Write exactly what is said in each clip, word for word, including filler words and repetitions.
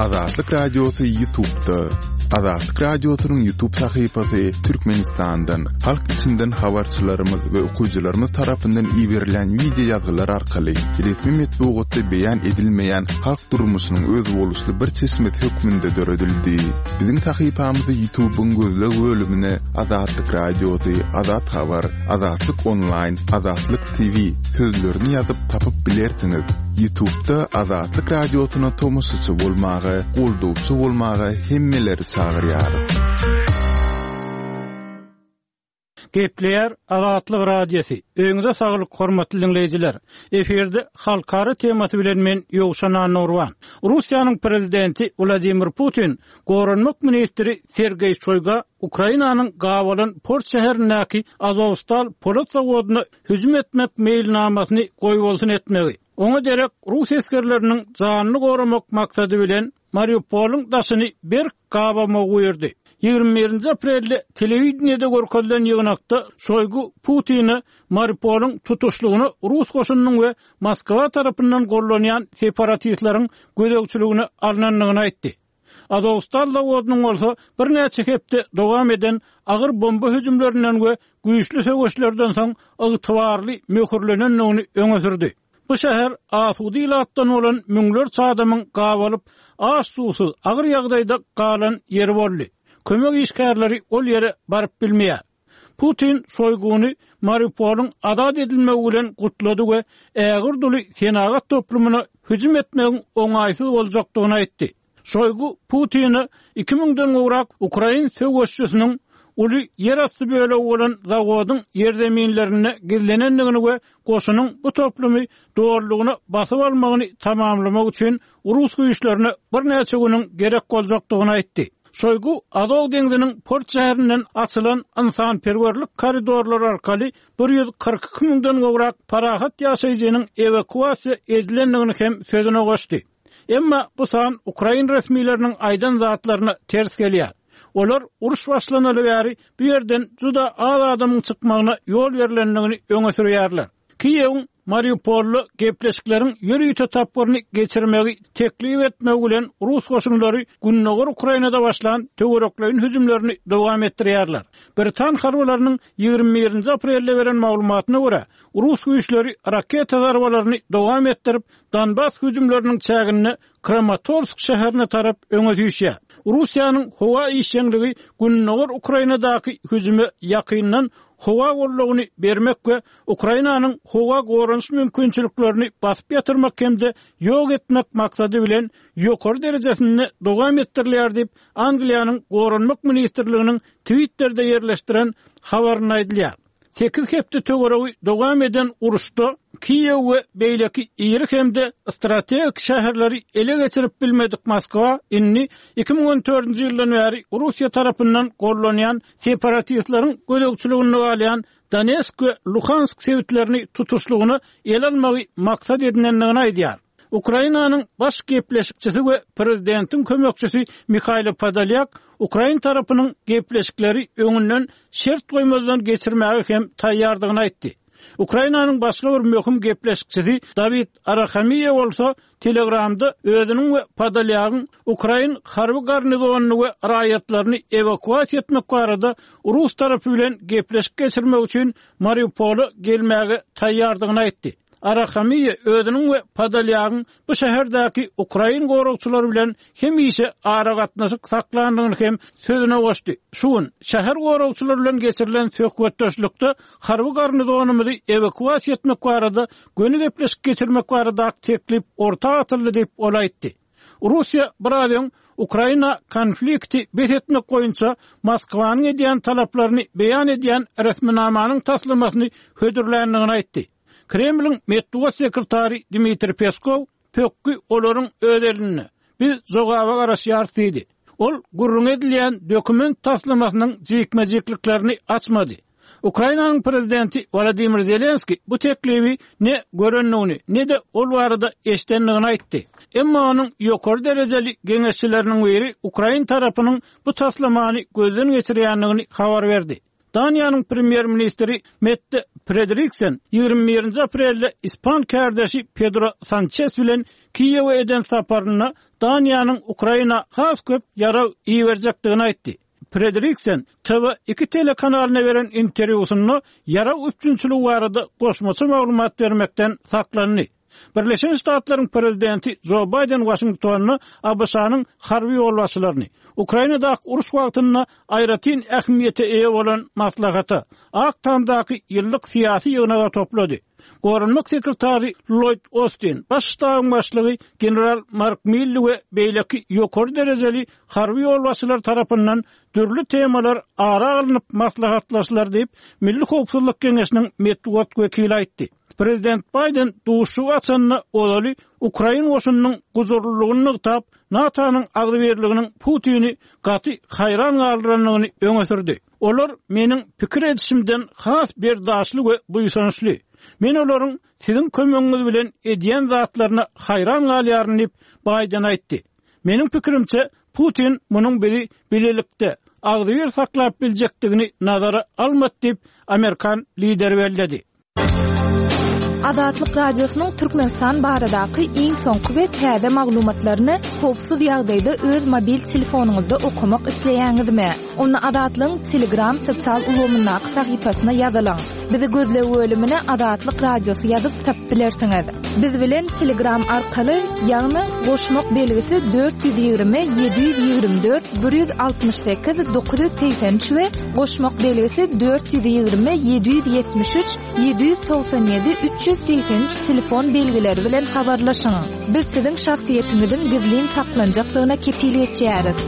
Azatlyk Radiosy YouTube'da. Azatlyk Radiosynyň YouTube sahypasy Türkmenistandan, halk içinden habarçylarymyz we okyjylarymyz tarapyndan iberilen wideo ýazgylar arkaly resmi metbugatda beýan edilmeýän halk durmuşynyň özboluşly bir çeşmesi hökmünde döredildi. Biziň sahypamyzy YouTube'yň gözleg bölümine Azatlyk Radiosy, Azat Habar, Azatlyk Online, Azatlyk T V sözlerini ýazyp tapyp bilersiňiz. YouTube'da Azatlyk Radiosyna tomaşaçy bolmaga, goldawçy bolmaga hemmeleri çagyrýarys. Gepleýär Azatlyk Radiosy. Öýüňize saglyk, hormatly diňleýjiler. Efirde halkara temasy bilen men Ýowşan Annurban. Russiýanyň prezidenti Wladimir Putin Goranmak ministri Sergeý Şoýga Ukrainanyň gabalan port şäherindäki Azovstal polat zawodyna hüjüm etmek meýilnamasyny goýbolsun etmegi, oňa derek rus esgerleriniň janyny goramak maksady bilen Mariupolyň daşyny berk gabamagy buýurdy. Ýigrimi birinji aprelde telewideniýede görkezilen ýygnakda Şoýgu Putine Mariupolyň tutuşlygyna rus goşunynyň we Moskwa tarapyndan gollanýan separatistleriň gözegçiligine alnandygyny aýtdy. Azovstal zawodynyň bolsa birnäçe hepde dowam eden agyr bomba hüjümlerinden we güýçli söweşlerden soň ygtybarly möhürlenendigini öňe sürdi. Bu şäher asuda ilatdan bolan müňlerçe adamyň gabalyp, aç-suwsuz, agyr ýagdaýda galan ýeri boldy. Kömek işgärleri ol ýere baryp bilmeýär. Putin Şoýguny Mariupolyň azat edilmegi bilen gutlady we ägirt uly senagat toplumyna hüjüm etmegiň oňaýsyz boljakdygyny aýtdy. Şoýgu Putine iki müňden gowrak ukrain söweşçisiniň uly ýerasty bölegi bolan zawodyň ýerzeminlerinde gizlenendigini we goşunyň bu toplumy dolulygyna basyp almagyny tamamlamak üçin rus güýçlerine birnäçe günüň gerek boljakdygyny aýtdy. Şoýgu Azow deňziniň port şäherinden açylan ynsanperwerlik koridorlary arkaly bir ýüz kyrk iki müňden gowrak parahat ýaşaýjynyň ewakuasiýa edilendigini hem sözüne goşdy. Emma bu san ukrain resmileriniň aýdan zatlaryna ters gelýär. Olar uruş başlanaly bäri bu ýerden juda az adamyň çykmagyna ýol berlendigini öňe sürýärler. Kiýewiň Mariupolda gepleşikleriň ýörite tapgyryny geçirmegi teklip etmegi bilen rus goşunlary Gündogar Ukrainada başlan töwerekleýin hüjümlerini dowam etdirýärler. Britan harbylarynyň ýigrimi birinji aprelde beren maglumatyna görä, rus güýçleri raketa zarbalaryny dowam etdirip, Donbas hüjümleriniň çäginde Kramatorsk şäherine tarap öňe süýşýär. Russiýanyň howa işjeňligi Gündogar Ukrainadaky hüjüme ýakyndan howa goldawyny bermek we Ukrainanyň howa goranyş mümkinçiliklerini basyp ýatyrmak hem-de ýok etmek maksady bilen ýokary derejesinde dowam etdirilýär diýip, Angliýanyň Goranmak ministrliginiň Twitterде ýerleşdiren habarynda aýdylýar. Sekiz hepde töweregi dowam eden uruşda Kiýew we beýleki iri hem-de strategik şäherleri ele geçirip bilmedik Moskwa indi iki müň on dördünji ýyldan bäri Russiýa tarapyndan gollanýan separatistleriň gözegçiliginde galýan Donetsk we Luhansk sebitlerini tutuşlygyna ele almagy maksat edinendigini aýdýar. Ukrainanyň baş gepleşikçisi we prezidentiň kömekçisi Mihailo Podolyak ukrain tarapynyň gepleşikleri öňünden şert goýmazdan geçirmäge hem taýýardygyny aýtdy. Ukrainanyň başga bir möhüm gepleşikçisi Dawid Arahamiýa bolsa Telegramda özüniň we Podolyagyň ukrain harby garnizonyny we raýatlaryny ewakuasiýa etmek barada rus tarapy bilen gepleşik geçirmek üçin Mariupola gelmäge taýýardygyny aýtdy. Arahamiýa özüniň we Podolyagyň bu şäherdäki ukrain goragçylary bilen hemişe aragatnaşyk saklandygyny hem sözüne goşdy. Şu gün şäher goragçylary bilen geçirilen söhbetdeşlikde harby garnizonymyzy ewakuasiýa etmek barada göni gepleşik geçirmek barada teklip orta atyldy diýip ol aýtdy. Russiýa biraz öň Ukraina konflikti bes etmek boýunça Moskwanyň edýän talaplaryny beýan edýän resminamanyň taslamasyny hödürländigini aýtdy. Kremliň metbugat sekretary Dmitri Peskov pökgi olaryň öz elinde. Biz jogaba garaşýarys diýdi. Ol gürrüň edilýän dokument taslamasynyň jikme-jikliklerini açmady. Ukrainanyň prezidenti Wladimir Zelenski bu teklibi ne görendigini, ne de ol barada eşdendigini aýtdy. Emma onuň ýokary derejeli geňeşçileriniň biri Ukrain tarapynyň bu taslamany gözden geçirýändigini habar berdi. Daniýanyň premýer-ministri Mette Frederiksen ýigrimi birinji aprelde ispan kärdeşi Pedro Sançes bilen Kiýewe eden saparynda Daniýanyň Ukraina has köp ýarag iberjekdigini aýtdy. Frederiksen T V iki telekanalyna beren interwýusynda ýarag üpjünçiligi barada goşmaça maglumat bermekden saklandy. Birleşen Ştatlaryň prezidenti Joe Biden Washingtonda A B Ş-nyň harby ýolbaşçylaryny Ukrainadaky uruş wagtynda aýratyn ähmiýete eýe bolan maslahata Ak Tamdaky ýyllyk syýasy ýygnaga toplady. Goranmak sekretary Lloyd Austin, baş ştabyň başlygy General Mark Milley we beýleki ýokary derejeli harby ýolbaşçylar tarapyndan dürli temalar ara alnyp maslahatlaşylar diýip, Milli Howpsuzlyk Geňeşiniň metbugat wekili aýtdy. Prezident Biden duşuşygy açanda ozaly Ukrain goşunynyň guzurlylygyny nygtap, NATO-nyň agzybirliginiň Putini gaty haýran galdyrandygyny öňe sürdi. Olar meniň pikir edişimden has berdaşly we buýsançly. Men olaryň siziň kömegiňiz bilen edýän zatlaryna haýran galýaryn diýip Biden aýtdy. Meniň pikirimçe Putin munuň bizi bilelikde agzybir saklap biljekdigini nazara almady diýip Amerikan lideri belledi. Azatlyk Radiosynyň Türkmenistan baradaky iň soňky we täze maglumatlaryny howpsuz ýagdaýda öz mobil telefonyňyzda okamak isleýäňizmi? Onda Azatlygyň Telegram sosial ulgamyndaky sahypasyna ýazylyň. Bizi gözleg bölümine Azatlyk Radiosy ýazyp tapyp bilersiňiz. Biz bilen Telegram arkaly, ýagny goşmak belgisi dört ýüz ýigrimi ýedi ýüz ýigrimi dört bir ýüz altmyş sekiz dokuz ýüz segsen üç we goşmak belgisi dört ýüz ýigrimi ýedi ýüz ýetmiş üç ýedi ýüz togsan ýedi üç ýüz segsen üç telefon belgileri bilen habarlaşyň. Biz siziň şahsyýetiňiziň gizlin saklanjakdygyna kepil geçýäris.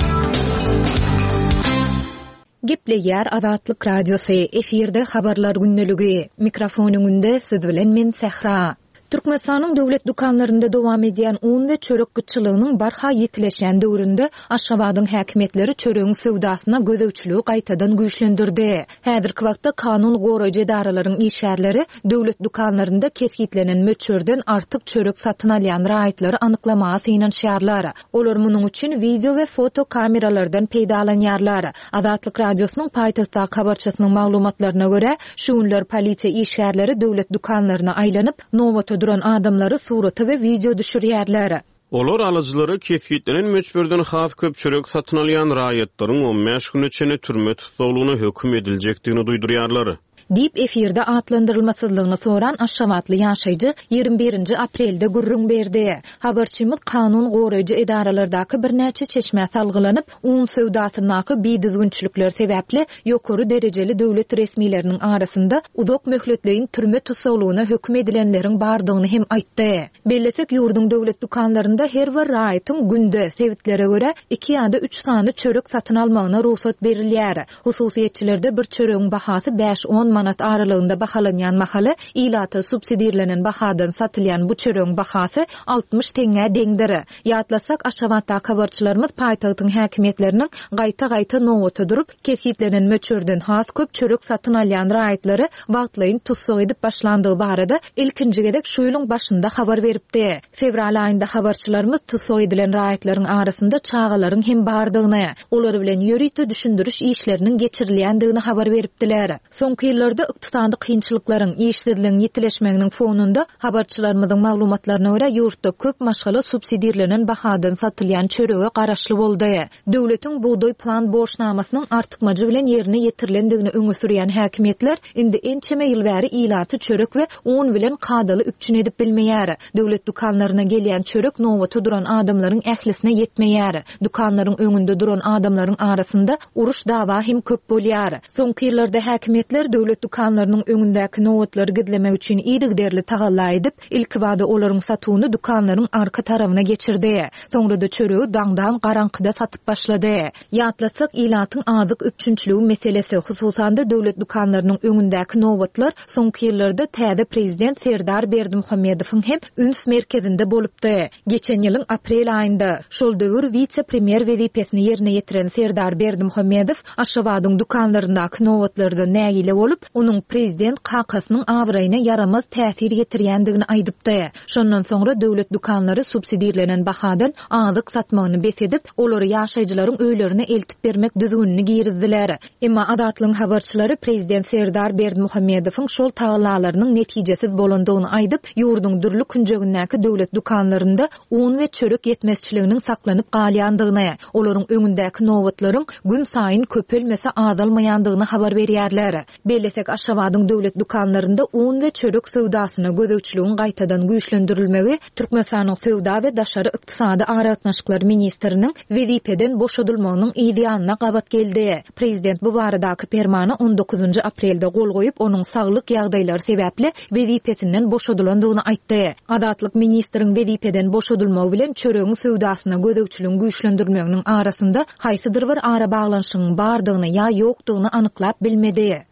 Gepleýär Azatlyk Radiosy, efirde habarlar gündeligi. Mikrofon öňünde siz bilen men Sähra. Türkmenistanyň döwlet dükanlarynda dowam edýän un we çörek gytçylygynyň barha ýetileşen döwründe Aşgabadyň häkimiýetleri çöregiň söwdasyna gözegçiligi gaýtadan güýçlendirdi. Häzirki wagtda kanun goraýjy edaralaryň işgärleri döwlet dükanlarynda kesgitlenen möçberden artyk çörek satyn alýan raýatlary anyklamaga synanyşýarlar. Olar munuň üçin video we foto kameralardan peýdalanýarlar. Azatlyk Radiosynyň paýtagtdaky habarçysynyň maglumatlaryna görä, şu günler polisiýa işgärleri döwlet dükanlaryna aýlanyp, nobata duran adamlary surata we video düşürýärler. Olar alyjylara kesgitlenen möçberden has köp çörek satyn alýan raýatlaryň on bäş güne çenli türme tussaglygyna höküm ediljekdigini duýdurýarlar. Diýip efirde atlandyrylmasyzlygyny soran Aşgabatly ýaşaýjy ýigrimi birinji aprelde gürrüň berdi. Habarçymyz kanun goraýjy edaralardaky birnäçe çeşmä salgylanyp, un söwdasyndaky bidüzgünçilikler sebäpli ýokary derejeli döwlet resmileriniň arasynda uzak möhletleýin türme tussaglygyna höküm edilenleriň bardygyny hem aýtdy. Bellesek, ýurduň döwlet dükanlarynda her bir raýatyň günde sebitlere görä iki ýa-da üç sany çörek satyn almagyna rugsat berilýär. Hususyýetçilerde bir çöregiň bahasy bäş on manat aralygynda bahalanýan mahaly ilata subsidirlenen bahadan satylýan bu çöregiň bahasy altmyş teňňä deňdir. Ýatlasak, Aşgabatdaky habarçylarymyz paýtagtyň häkimiýetleriniň gaýta-gaýta nobata durup, kesgitlenen möçberden has köp çörek satyn alýan raýatlary wagtlaýyn tussag edip başlandygy barada ilkinji gezek şu ýylyň başynda habar beripdi. Fewral aýynda habarçylarymyz tussag edilen raýatlaryň arasynda çagalaryň hem bardygyny, olar bilen ýörite düşündiriş işleriniň geçirilýändigini habar beripdiler. Soňky ýyllarda ykdysady kynçylyklaryň, işsizligiň ýetileşmeginiň fonunda habarçylarymyzyň maglumatlaryna görä ýurtda köp maşgala subsidirlenen bahadan satylýan çörege garaşly boldy. Döwletiň bugdaý plan borçnamasynyň artykmajy bilen ýerine ýetirilendigini öňe sürýän häkimiýetler indi ençeme ýyl bäri ilaty çörek we un bilen kadaly üpjün edip bilmeýär. Döwlet dükanlaryna gelýän çörek nobata duran adamlaryň ählisine ýetmeýär. Dükanlaryň öňünde duran adamlaryň arasynda uruş dawa hem köp bolýar. Soňky ýyllarda häkimiýetler döwlet dükanlarynyň öňündäki nobatlary gizlemek üçin yzygiderli tagalla edip, ilkibada olaryň satuwyny dükanlaryň arka tarabyna geçirdi. Soňra da çöregi daňdan garaňkyda satyp başlady. Ýatlasak, ilatyň azyk üpjünçiligi meselesi, hususan-da döwlet dükanlarynyň öňündäki nobatlar soňky ýyllarda täze prezident Serdar Berdimuhamedowyň hem üns merkezinde bolupdy. Geçen ýylyň aprel aýynda şol döwür wise-premýer wezipesini ýerine ýetiren Serdar Berdimuhamedow Aşgabadyň dükanlaryndaky nobatlarda nägile bolup, onuň prezident kakasynyň abraýyna ýaramaz täsir ýetirýändigini aýdypdy. Şondan soňra döwlet dükanlary subsidirlenen bahadan azyk satmagyny bes edip, olary ýaşaýjylaryň öýlerine eltip bermek düzgünini girizdiler. Emma Azatlygyň habarçylary prezident Serdar Berdimuhamedowyň şol tagallalarynyň netijesiz bolandygyny aýdyp, ýurduň dürli künjegindäki döwlet dükanlarynda un we çörek ýetmezçiliginiň saklanyp galýandygyny, olaryň öňündäki nobatlaryň gün saýyn köpelmese azalmaýandygyny habar berýärler. Bellesek Aşgabadyň döwlet dükanlarynda un we çörek söwdasyna gözegçiligiň gaýtadan güýçlendirilmegi Türkmenistanyň söwda we daşary ykdysady aragatnaşyklar ministriniň wezipeden boşadylmagynyň ýanyna gabat geldi. Prezident bu baradaky permana on dokuzynjy aprelde gol goýup, onuň saglyk ýagdaýlary sebäpli wezipesinden boşadylandygyny aýtdy. Azatlyk ministriň wezipeden boşadylmagy bilen çöregiň söwdasyna gözegçiligiň güýçlendirilmeginiň arasynda haýsydyr bir ara baglanyşygyň bardygyny ýa ýokdugyny anyklap bilmedi.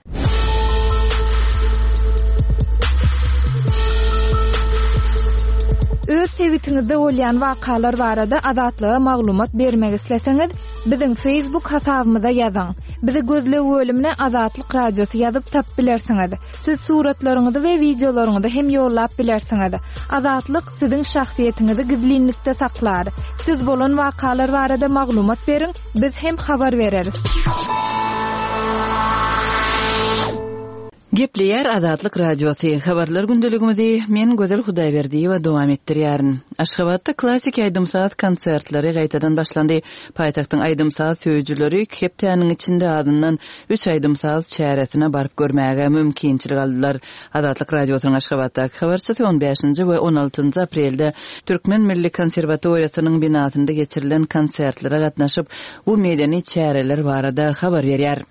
Öz sebitiňizde bolýan wakalar barada Azatlyga maglumat bermek isleseňiz, biziň Facebook hasabymyza ýazyň. Bizi gözleg bölümine Azatlyk Radiosy ýazyp tap bilersiňiz. Siz suratlaryňyzy we wideolaryňyzy hem ýollap bilersiňiz. Azatlyk siziň şahsyýetiňizi gizlinlikde saklar. Siz bolan wakalar barada maglumat beriň, biz hem habar bereris. Gepleýär Azatlyk Radiosy. Habarlar gündeligimizi men Gözel Hudaýberdiýewa dowam etdirýärin. Aşgabatda klassik aýdym-saz konsertleri gaýtadan başlandy. Paýtagtyň aýdym-saz söýüjileri iki hepdäniň içinde adyndan üç aýdym-saz çäresine baryp görmäge mümkinçilik aldylar. Azatlyk Radiosynyň Aşgabatdaky habarçysy on bäşinji we on altynjy aprelde Türkmen Milli Konserwatoriýasynyň binasynda geçirilen konsertlere gatnaşyp, bu medeni çäreler barada habar berýär.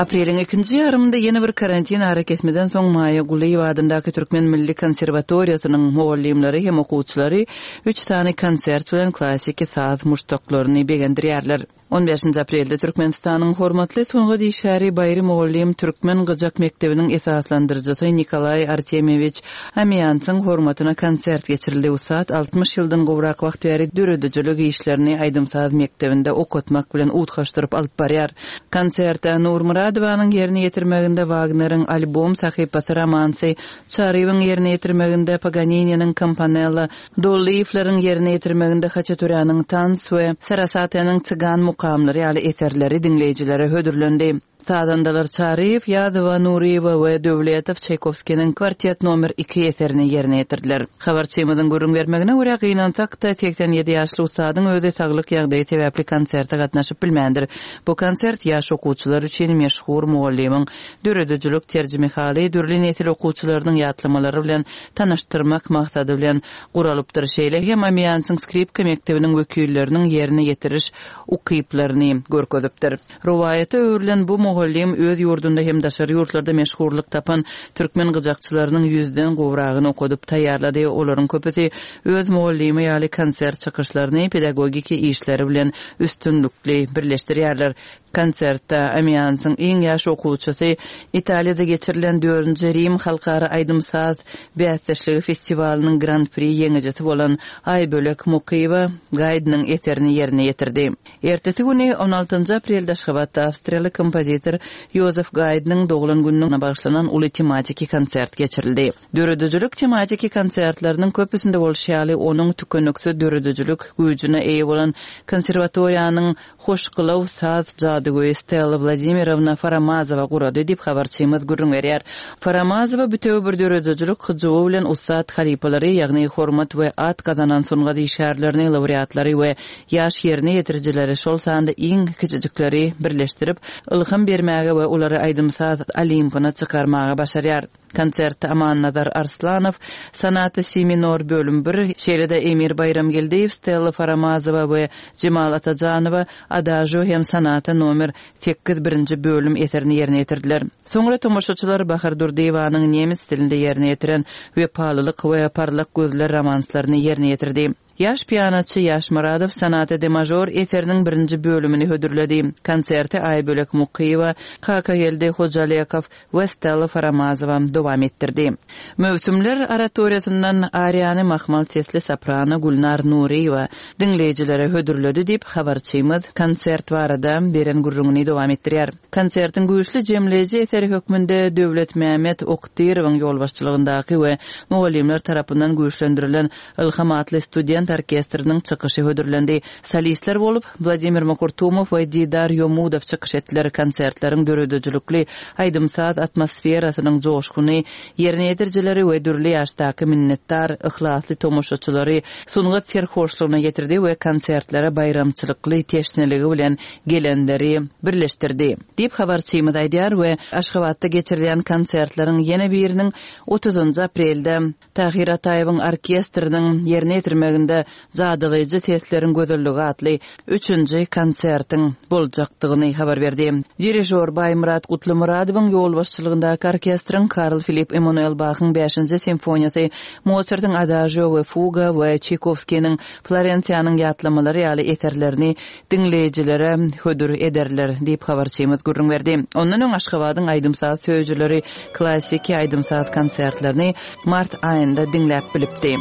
Apreliň ikinji ýarymynda ýene bir karantin arakesmeden soň Maýa Gulyýewa adyndaky Türkmen Milli Konserwatoriýasynyň mugallymlary hem okuwçylary üç sany konsert bilen klassiki saz muşdaklaryny begendirýärler. on bäşinji aprelde Türkmenistanyň hormatly sungat işgäri Baýry mugallym Türkmen Gyjak mekdebiniň esaslandyryjysy Nikolaý Artemýewiç Amiýansyň hormatyna konsert geçirildi. Ussat altmyş ýyldan gowrak wagt bäri döredijilik işlerini aýdym-saz mekdebinde okatmak bilen utgaşdyryp alyp barýar. Konsertde Nur Muradowanyň ýerine ýetirmeginde Wagneriň albom sahypasy romansy, Çarywyň ýerine ýetirmeginde Paganini'niň Campanella, Dollyýewleriň ýerine ýetirmeginde Haçaturanyň Tans we Sarasatanyň Tsigan mukamlary ýaly eserleri diňleýjilere hödürlendi. Sazandalar Çaryýew, Ýazowa, Nuriýewa we Döwletow Çaýkowskiniň kwartet nomer iki eserini ýerine ýetirdiler. Habarçymyzyň gürrüň bermegine görä gynansak-da seksen ýedi ýaşly ussadyň özi saglyk ýagdaýy sebäpli konserte gatnaşyp bilmändir. Bu konsert ýaş okuwçylar üçin meşhur mugallymyň döredijilik terjimehaly dürli nesil okuwçylarynyň ýatlamalary bilen tanyşdyrmak maksady bilen guralypdyr. Şeýle hem Amiýansyň skripka mekdebiniň wekilleriniň ýerine ýetiriş ukyplaryny görkezipdir. Rowaýata öwrülen bu mugallym öz ýurdunda hem daşary ýurtlarda meşhurlyk tapan türkmen gyjakçylarynyň ýüzden gowragyny okadyp taýýarlady. Olaryň köpüsi öz mugallymy ýaly konsert çykyşlaryny pedagogiki işleri bilen üstünlikli birleşdirýärler. Konsertde Amiýansyň iň ýaş okuwçysy Italiýada geçirilen dördünji Rim halkara aýdym-saz bäsdeşligi festiwalynyň Grand Prix ýeňijisi bolan Aýbölek Mukyýewa Gaýdnyň eserini ýerine ýetirdi. Ertesi güni on altynjy aprelde Aşgabatda awstriýaly kompozitor Ýozef Gaýdnyň doglan gününe bagyşlanan uly tematiki konsert geçirildi. Döredijilik tematiki konsertleriniň köpüsinde bolşy ýaly onuň tükeniksiz döredijilik güýjüne eýe bolan konserwatoriýanyň hoşgylaw saz jadygöýi Stella Wladimirovna Faramazowa gurady diýip habarçymyz gürrüň berýär. Faramazowa bütewi bir döredijilik hyjuwy bilen ussat halypalary, ýagny hormat we at gazanan sungat işgärlerini, laureatlary we ýaş ýerine ýetirijileri, şol sanda iň kiçijikleri birleşdirip, ylham bermäge we olary aýdym-saz olimpyna çykarmaga başarýar. Konsertde Amannazar Arslanow, Sonata Si minor bölüm bir, şeýle-de Emir Baýramgeldiýew, Stella Faramazowa we Jemal Atajanowa Adagio hem Sonata nomer sekiz birinji bölüm eserini ýerine ýetirdiler. Soňra tomaşaçylar Bahar Durdyýewanyň nemes dilinde ýerine ýetiren Wepalylyk we Parlak gözler romanslaryny ýerine ýetirdi. Ýaş pianoçy Ýaş Muradow Sonata de major eseriniň birinji bölümini hödürledi. Konserti Aýbölek Mukyýewa, Kakageldi Hojalekow we Stella Faramazowa dowam etdirdi. Möwsümler oratoriýasyndan ariýany mahmal sesli soprano Gülnar Nuriýewa diňleýjilere hödürledi diýip habarçymyz konsert barada beren gürrüňini dowam etdirýär. Konsertiň güýçli jemleýji eseri hökmünde Döwlet Mehmet Oktyrowyň ýolbaşçylygyndaky we mugallymlar tarapyndan güýçlendirilen Ilham atly student orkestriniň çykyşy hödürlendi. Solistler bolup Wladimir Makurtumow we Didar Ýomudow çykyş etdiler. Konsertleriň döredijilikli aýdym-saz atmosferasynyň joşguny, ýerine ýetirijileri we dürli ýaşdaky minnetdar yhlasly tomaşaçylary sungat serhoşlugyna getirdi we konsertlere baýramçylykly teşneligi bilen gelenleri birleşdirdi. Diýip habarçymyz aýdýar we Aşgabatda geçirilýän konsertleriň ýene biriniň otuzynjy aprelde Tahir Ataýewiň orkestriniň ýerine ýetirmeginde Jadylaýjy sesleriň gözelligi atly üçünji konsertiň boljakdygyny habar berdi. Dirižor Baýmyrat Gutlymyradowyň ýolbaşçylygyndaky orkestriň Karl Filip Emanuel Bachyň bäşinji simfoniýasy, Mozartyň Adagio we Fuga we Çaykovskiniň Florensiýanyň ýatlamalary ýaly eserlerini diňleýjilere hödür ederler diýip habarçymyz gürrüň berdi. Ondan öň Aşgabadyň aýdym-saz söýüjileri klassiki aýdym-saz konsertlerini mart aýynda diňläp bilipdi.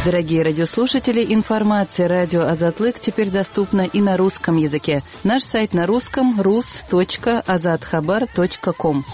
Дорогие радиослушатели, информация радио Азатлык теперь доступна и на русском языке. Наш сайт на русском рус точка азатхабар точка ком.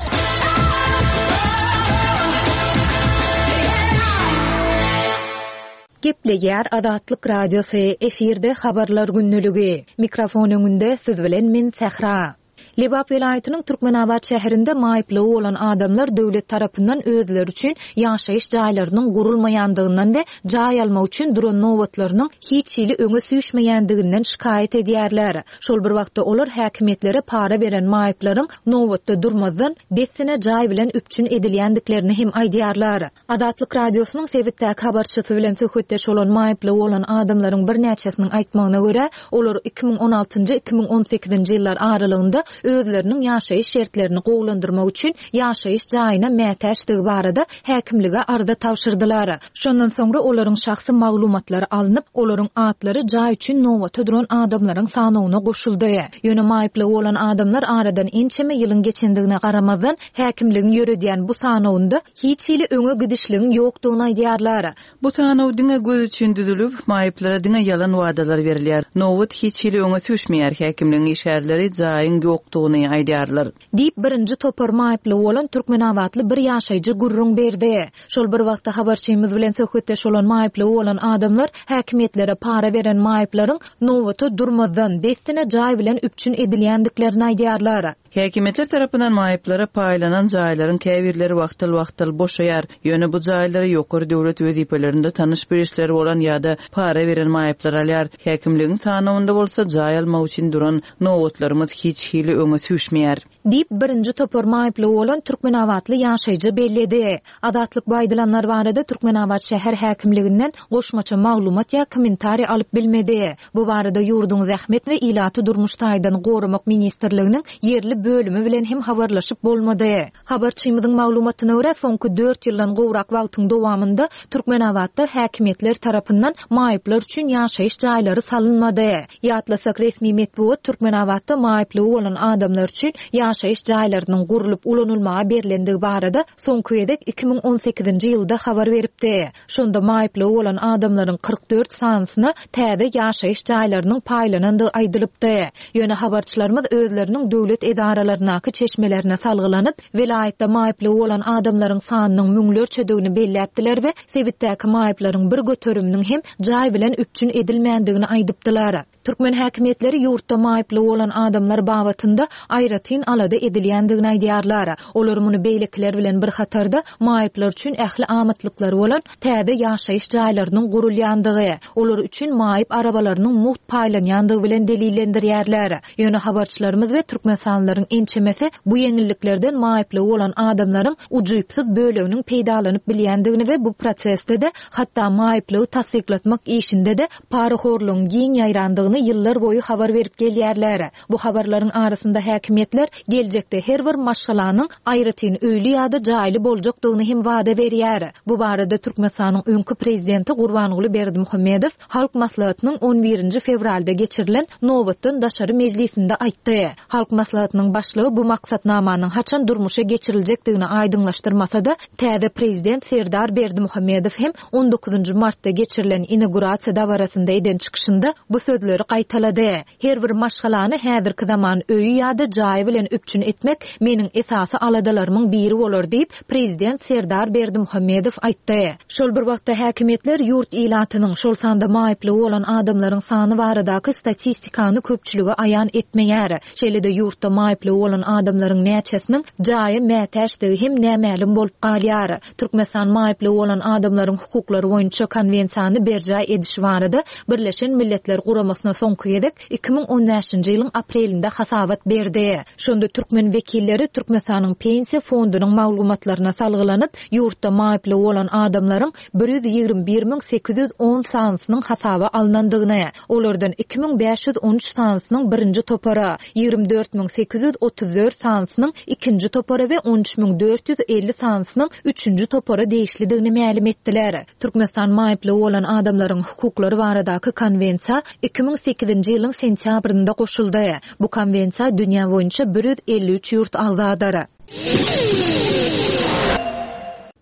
Gepleýär Azatlyk Radiosy efirde habarlar günlügi. Mikrofon öňünde siz bilen men Sähra. Lebap welaýatynyň Türkmenabat şäherinde maýyplygy bolan adamlar döwlet tarapyndan özleri üçin ýaşaýyş jaýlarynyň gurulmaýandygyndan we jaý almak üçin duran nobatlarynyň hiç hili öňe süýşmeýändiginden şikaýat edýärler. Şol bir wagtda olar häkimiýetlere para beren maýyplaryň nobatda durmazdan dessine jaý bilen üpjün edilýändiklerini hem aýdýarlar. Azatlyk Radiosynyň sebitdäki habarçysy bilen söhbetdeş bolan maýyplygy bolan adamlaryň birnäçesiniň aýtmagyna görä, olar iki müň on altynjy iki müň on sekizinji ýyllar aralygynda özleriniň ýaşaýyş şertlerini gowulandyrmak üçin ýaşaýyş jaýyna mätäçdigi barada häkimlige arza tabşyrdylar. Şondan soňra olaryň şahsy maglumatlary alnyp, olaryň atlary jaý üçin nobata duran adamlaryň sanawyna goşuldy. Ýöne maýyplygy bolan adamlar aradan ençeme ýylyň geçendigine garamazdan häkimligiň ýöredýän bu sanawynda hiç hili öňe gidişligiň ýokdugyny aýdýarlar. Bu sanaw diňe göz üçin düzülip, maýyplara diňe ýalan wadalar berilýär. Nobat hiç hili öňe süýşmeýär, häkimligiň işgärleri jaýyň ýokdugyny aýdýarlar. Diýip birinji topar maýyplygy bolan Türkmenabatly bir ýaşaýjy gürrüň berdi. Şol bir wagtda habarçymyz bilen söhbetdeş bolan maýyplygy bolan adamlar häkimiýetlere para beren maýyplaryň nobata durmazdan dessine jaý bilen üpjün edilýändiklerini aýdýarlar. Häkimiýetler tarapyndan maýyplara paýlanan jaýlaryň käbirleri wagtal-wagtal boşaýar. Ýöne bu jaýlary ýokary döwlet wezipelerinde tanyş bilişleri bolan ýa-da para beren maýyplar alýar. Häkimligiň sanawynda bolsa jaý almak üçin duran nobatlarymyz hiç hili öňe süýşmeýär. Diýip birinji topar maýyplygy bolan Türkmenabatly ýaşaýjy belledi. Azatlyk bu aýdylanlar barada Türkmenabat şäher häkimliginden goşmaça maglumat ýa kommentariý alyp bilmedi. Bu barada ýurduň Zähmet we ilaty durmuş taýdan goramak ministrliginiň ýerli bölümi bilen hem habarlaşyp bolmady. Habarçymyzyň maglumatyna görä, soňky dört ýyldan gowrak wagtyň dowamynda Türkmenabatda häkimiýetler tarapyndan maýyplar üçin ýaşaýyş jaýlary salynmady. Ýatlasak, resmi metbugat Türkmenabatda maýyplygy bolan adamlar üçin ýaşaýyş jaýlarynyň gurlup ulanylmaga berilendigi barada soňky gezek iki müň on sekizinji ýylda habar beripdi. Şonda maýyplygy bolan adamlaryň kyrk dört sanysyna täze ýaşaýyş jaýlarynyň paýlanandygy aýdylypdy. Ýöne habarçylarymyz özleriniň döwlet edaralaryndaky çeşmelerine salgylanyp, welaýatda maýyplygy bolan adamlaryň sanynyň müňlerçedigini belläpdiler we sebitdäki maýyplaryň bir göteriminiň hem jaý bilen üpjün edilmändigini aýdypdylar. Türkmen häkimiýetleri ýurtda maýyplygy bolan adamlar babatynda aýratyn alada edilýändigini aýdýarlar. Olar muny beýlekiler bilen bir hatarda maýyplar üçin ähli amatlyklary bolan täze ýaşaýyş jaýlarynyň gurulýandygy, olar üçin maýyp arabalarynyň mugt paýlanýandygy bilen delillendirýärler. Ýöne habarçylarymyz we türkmenistanlylaryň ençemesi bu ýeňilliklerden maýyplygy bolan adamlaryň ujypsyz böleginiň peýdalanyp bilýändigini we bu prosesde-de hatda maýyplygy tassyklatmak işinde-de parahorlugyň giň ýaýrandygyny ýyllar boýy habar berip gelýärler. Bu habarlaryň arasynda häkimiýetler geljekde her bir maşgalanyň aýratyn öýli ýa-da jaýly boljakdygyny hem wada berýär. Bu barada Türkmenistanyň öňki prezidenti Gurbanguly Berdimuhamedow Halk Maslahatynyň on birinji fewralda geçirilen nobatdan daşary mejlisinde aýtdy. Halk Maslahatynyň başlygy bu maksatnamanyň haçan durmuşa geçiriljekdigini aýdyňlaşdyrmasa-da, täze prezident Serdar Berdimuhamedow hem on dokuzynjy martda geçirilen inaugurasiýa dabarasynda eden çykyşynda bu sözleri gaýtalady. Her bir maşgalany häzirki zaman öýi ýa-da jaýy bilen üpjün etmek meniň esasy aladalarymyň biri bolar diýip, prezident Serdar Berdimuhamedow aýtdy. Şol bir wagtda häkimiýetler ýurt ilatynyň, şol sanda maýyplygy bolan adamlaryň sany baradaky statistikany köpçülige aýan etmeýär. Şeýle-de ýurtda maýyplygy bolan adamlaryň näçesiniň jaýa mätäçdigi hem nämälim bolup galýar. Türkmenistan maýyplygy bolan adamlaryň hukuklary boýunça konwensiýany berjaý edişi barada Birleşen Milletler Guramasyna soňky gezek iki müň on bäşinji ýylyň aprelinde hasabat berdi. Şonda türkmen wekilleri Türkmenistanyň Pensiýa fondunyň maglumatlaryna salgylanyp, ýurtda maýyplygy bolan adamlaryň bir ýüz ýigrimi bir müň sekiz ýüz on sanysynyň hasaba alnandygyny, olardan iki müň bäş ýüz on üç sanysynyň birinji topara, ýigrimi dört müň sekiz ýüz otuz dört sanysynyň ikinji topara we on üç müň dört ýüz elli sanysynyň üçünji topara degişlidigini mälim etdiler. Türkmenistan maýyplygy bolan adamlaryň hukuklary baradaky konwensiýa iki müň sekizinji ýylyň sentýabrynda goşuldy. Bu konwensiýa dünýä boýunça bir ýüz elli üç ýurt agzadyr.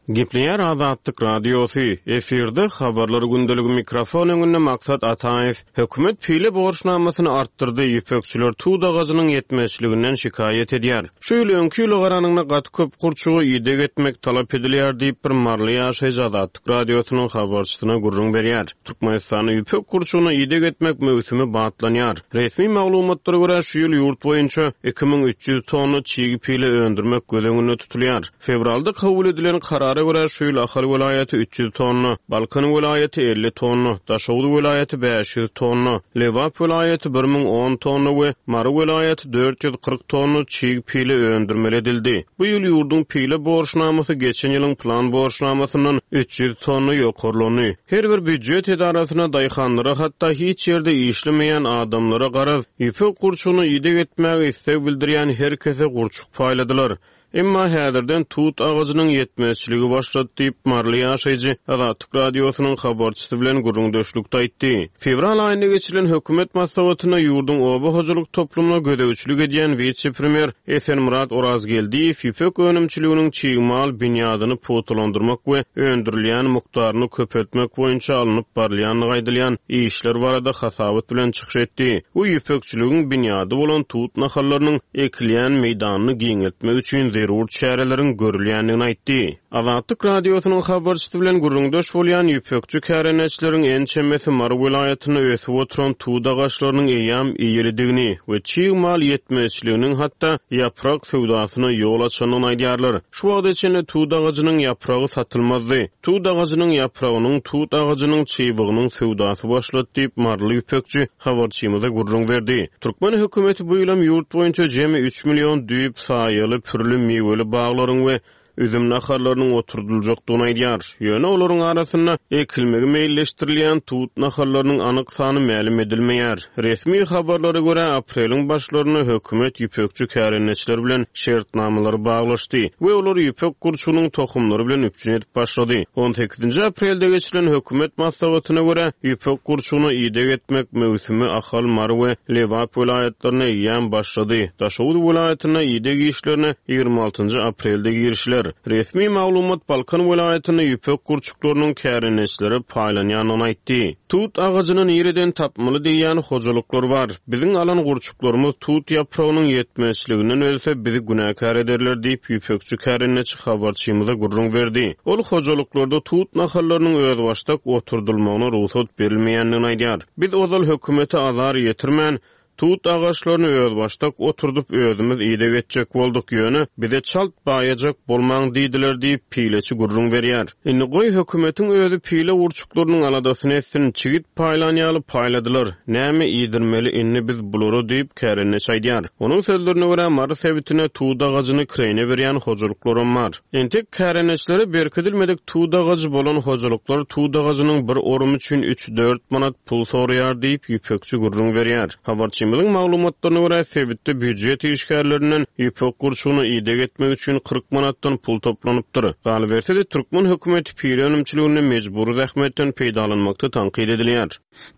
Gepleýär Azatlyk Radiosy. Efirde habarlar gündeligi mikrofon öňünde Maksat Ataýew. Hökümet pile borçnamasyny artdyrdy, ýüpekçiler tut agajynyň ýetmezçiliginden şikaýat edýär. Şu ýyl öňki ýyla garanyňda gaty köp gurçugy ideg etmek talap edilýär diýip bir maryly ýaşaýjy Azatlyk Radiosynyň habarçysyna gürrüň berýär. Türkmenistanda ýüpek gurçugyna ideg etmek möwsümi batlanýar. Resmi maglumatlara görä şu ýyl ýurt boýunça iki müň üç ýüz tonna çig pile öndürmek göz öňünde tutulýar. Fewralda kabul edilen karara görä şu ýyl Ahal welaýaty üç ýüz tonna, Balkan welaýaty elli tonna, Daşoguz welaýaty bäş ýüz tonna, Lebap welaýaty bir müň on tonna we Mary welaýaty dört ýüz kyrk tonna çig pile öndürmeli edildi. Bu ýyl ýurduň pile borçnamasy geçen ýylyň plan borçnamasyndan üç ýüz tonna ýokarlandy. Her bir býujet edarasyna daýhanlara hatda hiç ýerde işlemeýän adamlara garaz, ýüpek gurçugyny ideg etmäge isleg bildirýän her kese gurçuk paýladylar. Emma häzirden tut agajynyň ýetmezçiligi başlady diýip maryly ýaşaýjy Azatlyk Radiosynyň habarçysy bilen gürrüňdeşlikde aýtdy. Fewral aýynda geçirilen hökümet maslahatynda ýurduň oba hojalyk toplumyna gözegçilik edýän wise-premýer Esenmyrat Orazgeldiýew ýüpek önümçiliginiň çig mal binýadyny pugtalandyrmak we öndürilýän mukdaryny köpeltmek boýunça alnyp barylýandygy aýdylýan işler barada hasabat bilen çykyş etdi. Bu ýüpekçiligiň binýady bolan tut nahallarynyň ekilýän meýdanyny giňeltmek üçin zerur çäreleriň görülýändigini aýtdy. Azatlyk Radiosynyň habarçysy bilen gürrüňdeş bolýan ýüpekçi kärendeçileriň ençemesi Mary welaýatynda ösüp oturan tut agaçlarynyň eýýäm eýelidigini we çig mal ýetmezçiliginiň hatda ýaprak söwdasyna ýol açandygyny aýdýarlar. Şu wagta çenli tut agajynyň ýapragy satylmazdy. Tut agajynyň ýapragynyň, tut agajynyň çybygynyň söwdasy başlady diýip maryly ýüpekçi habarçymyza gürrüň berdi. Türkmen hökümeti bu ýylam ýurt boýunça jemi üç million düýp saýaly pürli miweli baglaryň we üzüm nahallarynyň oturdyljakdygyny aýdýar. Ýöne olaryň arasynda ekilmegi meýilleşdirilýän tut nahallarynyň anyk sany mälim edilmeýär. Resmi habarlara görä apreliň başlarynda hökümet ýüpekçi kärendeçiler bilen şertnamalary baglaşdy we olary ýüpek gurçugynyň tohumlary bilen üpjün edip başlady. on sekizinji aprelde geçirilen hökümet maslahatyna görä ýüpek gurçugyna ideg etmek möwsümi Ahal, Mary we Lebap welaýatlaryna eýýäm başlady. Daşoguz welaýatynda ideg işlerine ýigrimi altynjy aprelde girişiler. Resmi maglumat Balkan welaýatynda ýüpek gurçuklarynyň kärendeçilere paýlanýandygyny aýtdy. Tut agajyny nireden tapmaly diýen hojalyklar bar. Biziň alan gurçuklarymyz tut ýapragynyň ýetmezçiliginden ölse bizi günäkär ederler diýip ýüpekçi kärendeçi habarçymyza gürrüň berdi. Ol hojalyklarda tut nahallarynyň özbaşdak oturdylmagyna rugsat berilmeýändigini aýdýar. Biz ozal hökümete azar ýetirmän Tut agaçlaryny özbaşdak oturdyp, özümiz ideg etjek bolduk, ýöne bize çalt baýajak bolmaň diýdiler diýip, pileçi gürrüň berýär. Indi goý hökümetiň özi pile gurçuklarynyň aladasyny etsin, çigit paýlan ýaly paýladylar, näme iýdirmeli indi biz bulara diýip, kärendeçi aýdýar. Onuň sözlerine görä, Mary sebitinde tut agajyny kireýne berýän hojalyklaram bar. Entek kärendeçilere berkidilmedik tut agajy bolan hojalyklar tut agajynyň bir orumy üçin üç-dört manat pul soraýar diýip, ýüpekçi gürrüň berýär. Habarçymyzyň maglumatlaryna görä, sebitde býujet işgärlerinden ýüpek gurçugyna ideg etmek üçin kyrk manatdan pul toplanypdyr. Galyberse-de, türkmen hökümeti pile önümçiliginde mejbury zähmetden peýdalanmakda tankyt edilýär.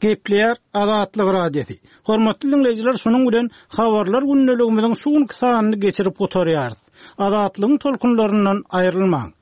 Gepleýär Azatlyk Radiosy. Hormatly diňleýjiler, şunuň bilen habarlar gündeligimiziň şu günki sanyny geçirip gutarýarys. Azatlygyň tolkunlaryndan aýrylmaň.